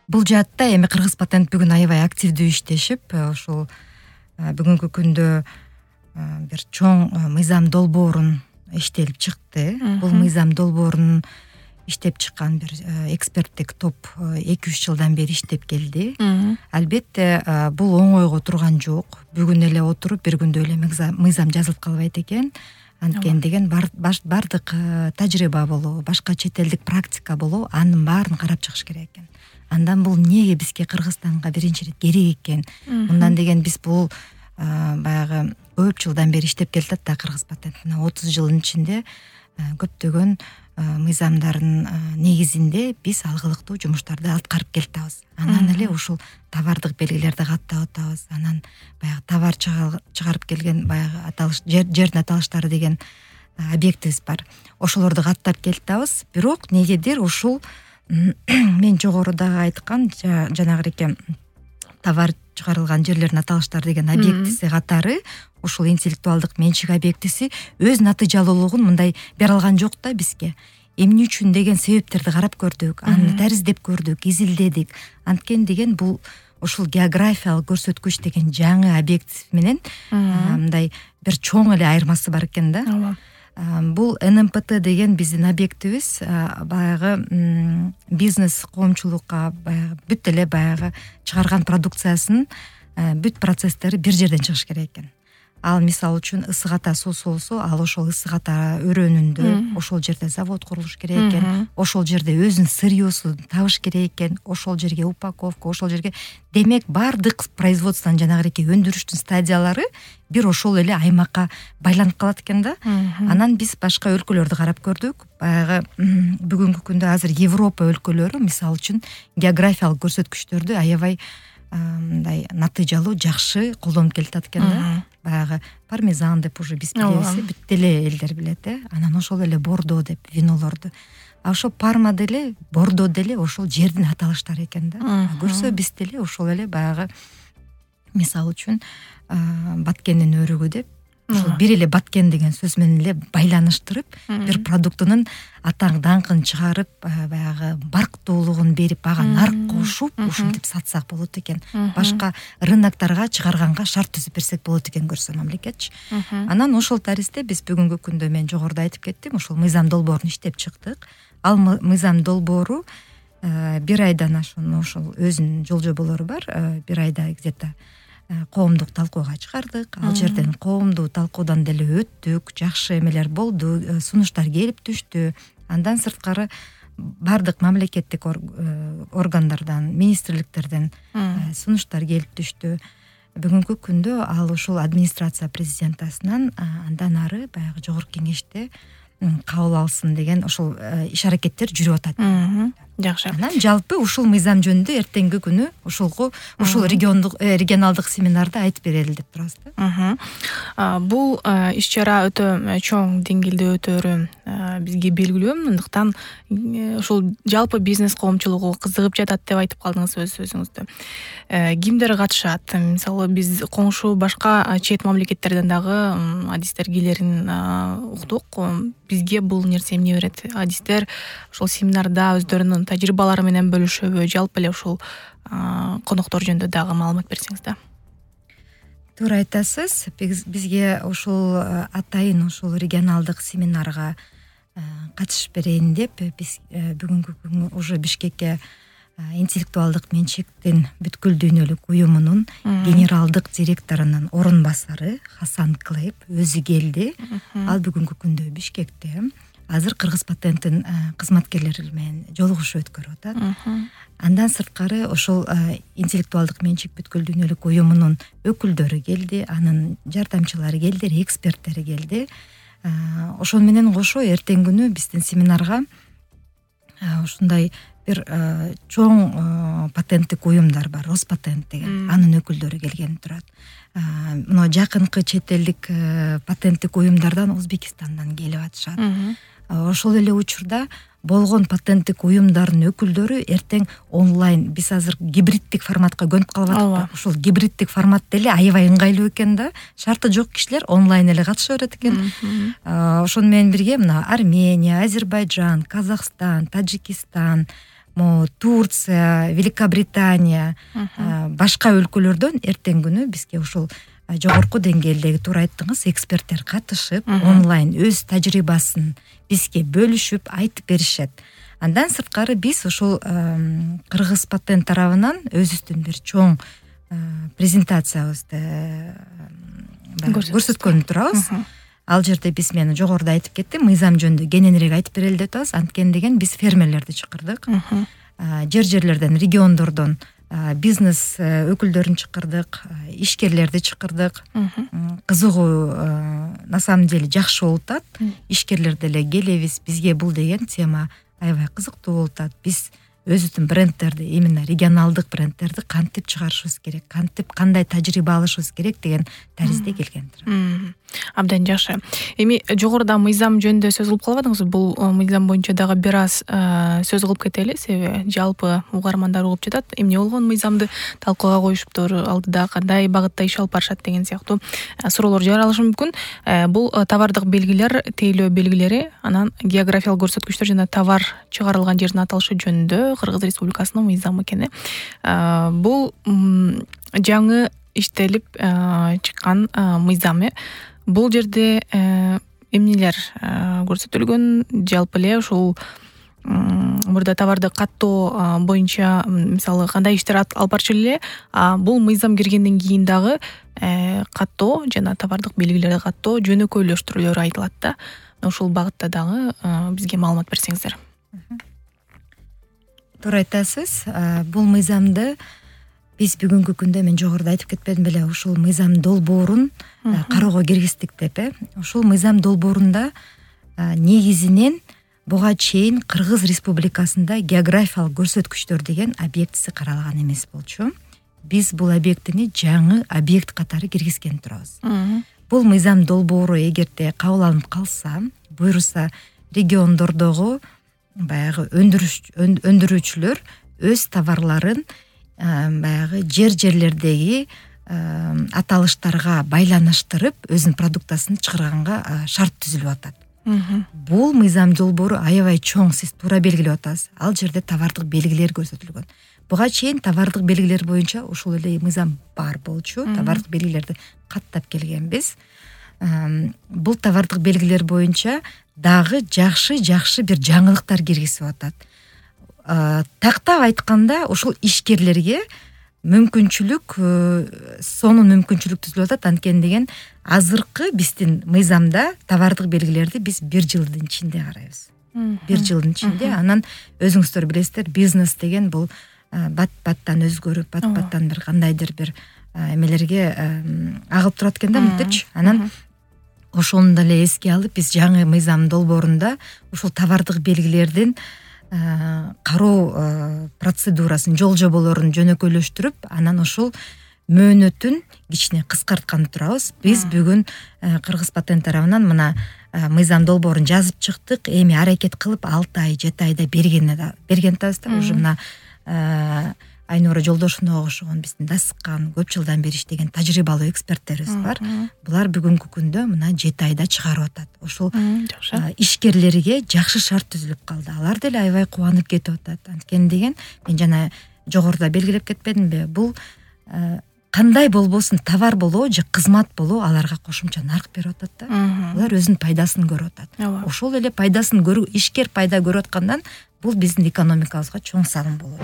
Бул жаатта эми Кыргыз патент бүгүн аябай активдүү иштешип, ушул бүгүнкү күндө бир чоң мыйзам долбоорун иштелип чыкты. Бул мыйзам долбоорун иштеп чыккан бир эксперттик топ 2-3 жылдан бери иштеп келди. Албетте бул оңойго турган жок. Бүгүн эле отуруп бир күндө эле мыйзам жазылып калбайт экен. Анткени деген бардык тажрыйба болобу, башка чет элдик практика болобу, анын баарын карап чыгыш керек экен. Андан бул эмнеге бизге Кыргызстанга биринчи ирет керек экен? Мындан деген биз бул баягы көп жылдан бери иштеп келатат да Кыргыз патент. 30 жылдын ичинде көптөгөн мыйзамдардын негизинде биз алгылыктуу жумуштарды аткарып келатабыз. Анан эле ушул товардык белгилерди каттап атабыз. Анан баягы товар чыгарып келген баягы аталыш жердин аталыштары деген объектибиз бар. Ошолорду каттап келатабыз. Бирок негедир ушул мен жогорудагы айткан жанагы товар чыгарылган жерлердин аталыштары деген объектиси катары ушул интеллектуалдык менчик объектиси өз натыйжалуулугун мындай бере алган жок да бизге. Эмне үчүн деген себептерди карап көрдүк, аны дариздеп көрдүк, изилдедик. Анткени деген бул ушул географиялык көрсөткүч деген жаңы объект менен мындай бир чоң эле айырмасы бар экен да. Бул НМПТ деген биздин объектибиз баягы бизнес коомчулукка баягы бүт эле баягы чыгарган продукциясынын бүт процесстери бир жерден чыгыш керек экен. Ал мисалы үчүн ысык ата суусу болсо, ал ошол ысык ата өрөөнүндө ошол жерде завод курулуш керек экен. Ошол жерде өзүнүн сырьёсун табыш керек экен. Ошол жерге упаковка, ошол жерге демек бардык производствонун жанагы өндүрүштүн стадиялары бир ошол эле аймакка байланып калат экен да. Анан биз башка өлкөлөрдү карап көрдүк. Баягы бүгүнкү күндө азыр Европа өлкөлөрү мисалы үчүн географиялык көрсөткүчтөрдү аябай мындай натыйжалуу жакшы колдонуп келатат экен да. Баягы пармезан деп уже биз билебиз, бүт эле элдер билет Анан ошол эле бордо деп винолорду. Ошол парма деле, бордо деле ошол жердин аталыштары экен да. Көрсө биз деле ошол эле баягы мисалы үчүн баткендин өрүгү деп ошол бир эле баткен деген сөз менен эле байланыштырып, бир продуктунун атаң даңкын чыгарып, баягы барктуулугун берип, ага нарк кошуп, ушинтип сатсак болот экен. Башка рыноктарга чыгарганга шарт түзүп берсек болот экен көрсө мамлекетчи. Анан ошол таристе биз бүгүнкү күндө мен жогоруда айтып кеттим, ошол мыйзам долбоорун иштеп чыктык. Ал мыйзам долбоору бир айдан ашуун ошол өзүнүн жол жоболору бар. Бир айда где-то коомдук талкууга чыгардык. Ал жерден коомдук талкуудан деле өттүк, жакшы эмелер болду, сунуштар келип түштү. Андан сырткары бардык мамлекеттик органдардан, министрликтерден сунуштар келип түштү. Бүгүнкү күндө ал ушул администрация президентасынан андан ары баягы жогорку кеңеште кабыл алсын деген ошол иш аракеттер жүрүп атат. Жакшы. Анан жалпы ушул мыйзам жөнүндө эртеңки күнү ушул регионалдык семинарда айтып берели деп турабыз да. Бул иш-чара өтө чоң деңгээлде өтөөрү бизге белгилүү. Мындыктан ушул жалпы бизнес коомчулугу кызыгып жатат деп айтып калдыңыз өз сөзүңүздө. Кимдер катышат? Мисалы биз коңшу башка чет мамлекеттерден дагы адистер келерин уктук. Бизге бул нерсе эмне берет? Адистер ошол семинарда өздөрүнүн тажрыйбалары менен бөлүшөбү? Жалпы эле ушул коноктор жөнүндө дагы маалымат берсеңиз да. Туура айтасыз. Бизге ушул атайын ушул регионалдык семинарга катышып берейин деп биз бүгүнкү күнү уже Бишкекке интеллектуалдык менчиктин бүткүл дүйнөлүк уюмунун генералдык директорунун орун басары Хасан Клейп өзү келди. Ал бүгүнкү күндө Бишкекте. Азыр Кыргыз патенттин кызматкерлери менен жолугушуу өткөрүп атат. Андан сырткары ошол интеллектуалдык менчик бүткүл дүйнөлүк уюмунун өкүлдөрү келди, анын жардамчылары келди, эксперттери келди. Ошол менен кошо эртеңки күнү биздин семинарга ушундай бир чоң патенттик уюмдар бар, Роспатент деген, анын өкүлдөрү келген турат. Мына жакынкы чет элдик патенттик уюмдардан Өзбекистандан келип атышат. Ошол эле учурда болгон патенттик уюмдардын өкүлдөрү эртең онлайн, биз азыр гибриддик форматка көнүп калып атабыз. Ошол гибриддик формат деле аябай ыңгайлуу экен да. Шарты жок кишилер онлайн эле катыша берет экен. Ошону менен бирге мына Армения, Азербайджан, Казакстан, Тажикистан, могу Турция, Великобритания, башка өлкөлөрдөн эртең күнү бизге ушул жогорку деңгээлдеги туура айттыңыз, эксперттер катышып, онлайн өз тажрыйбасын бизге бөлүшүп айтып беришет. Андан сырткары биз ушул Кыргыз патент тарабынан өзүбүздүн бир чоң презентациябызды көрсөткөн турабыз. Ал жерде биз мен жогоруда айтып кеттим, мыйзам жөнүндө кененирээк айтып берели деп атабыз. Анткени деген биз фермерлерди чакырдык. Жерлерден, региондордон бизнес өкүлдөрүн чакырдык, ишкерлерди чакырдык. Кызыгуу на самом деле жакшы болуп атат. Ишкерлер деле келебиз, бизге бул деген тема аябай кызыктуу болуп атат. Биз өзүбүздүн брендтерди, именно регионалдык брендтерди кантип чыгарышыбыз керек, кантип кандай тажрыйба алышыбыз керек деген таризде келгендир. Абдан жакшы. Эми жогоруда мыйзам жөнүндө сөз кылып калбадыңызбы? Бул мыйзам боюнча дагы бир аз сөз кылып кетели, себеби жалпы угармандар угуп жатат. Эмне болгон мыйзамды талкууга коюшуптур, алдыда кандай багытта иш алып барышат деген сыяктуу суроолор жаралышы мүмкүн. Бул товардык белгилер, тейлөө белгилери, анан географиялык көрсөткүчтөр жана товар чыгарылган жердин аталышы жөнүндө Кыргыз Республикасынын мыйзамы экен. Бул жаңы иштелип чыккан мыйзам. Бул жерде эмнелер көрсөтүлгөн? Жалпы эле ушул мурда товарды каттоо боюнча мисалы кандай иштер алып барчу эле, бул мыйзам киргенден кийин дагы каттоо жана товардык белгилерди каттоо жөнөкөйлөштүрүүлөрү айтылат да. Ушул багытта дагы бизге маалымат берсеңиздер. Туура айтасыз. Бул мыйзамды биз бүгүнкү күндө, мен жогоруда айтып кетпедим беле, ушул мыйзам долбоорун кароого киргиздик деп. Ушул мыйзам долбоорунда негизинен буга чейин Кыргыз Республикасында географиялык көрсөткүчтөр деген объектиси каралган эмес болчу. Биз бул объектини жаңы объект катары киргизген турабыз. Бул мыйзам долбоору эгерде кабыл алынып калса, буйруса региондордогу баягы өндүрүүчүлөр өз товарларын баягы жерлердеги аталыштарга байланыштырып өзүнүн продуктасын чыгарганга шарт түзүлүп атат. Бул мыйзам долбоору аябай чоң, сиз туура белгилеп атасыз. Ал жерде товардык белгилер көрсөтүлгөн. Буга чейин товардык белгилер боюнча ушул эле мыйзам бар болчу. Товардык белгилерди каттап келгенбиз. Бул товардык белгилер боюнча дагы жакшы бир жаңылыктар киргизип атат. Тактап айтканда, ушул ишкерлерге мүмкүнчүлүк, сонун мүмкүнчүлүк түзүлүп атат. Анткени деген азыркы биздин мыйзамда товардык белгилерди биз 1 жылдын ичинде карайбыз. 1 жылдын ичинде. Анан өзүңүздөр билесиздер, бизнес деген бул бат-баттан өзгөрүп, бат-баттан бир кандайдыр бир эмелерге агылып турат экен да, мынтичи. Анан ошону деле эске алып, биз жаңы мыйзам долбоорунда ушул товардык белгилердин кароо процедурасын, жол жоболорун жөнөкөйлөштүрүп, анан ушул мөөнөтүн кичине кыскарткан турабыз. Биз бүгүн Кыргыз патент тарабынан мына мыйзам долбоорун жазып чыктык. Эми аракет кылып 6 ай, 7 айда берген атабыз да. Уже мына Айнура Жолдошунова окшогон биздин дасыккан, көп жылдан бери иштеген тажрыйбалуу эксперттерибиз бар. Булар бүгүнкү күндө мына 7 айда чыгарып атат. Ошол ишкерлерге жакшы шарт түзүлүп калды. Алар деле аябай кубанып кетип атат. Анткени деген, мен жана жогоруда белгилеп кетпедимби, бул кандай болбосун, товар болобу же кызмат болобу аларга кошумча нарк берип атат да. Алар өзүнүн пайдасын көрүп атат. Ошол эле пайдасын көрүү, ишкер пайда көрүп аткандан бул биздин экономикабызга чоң салым болот.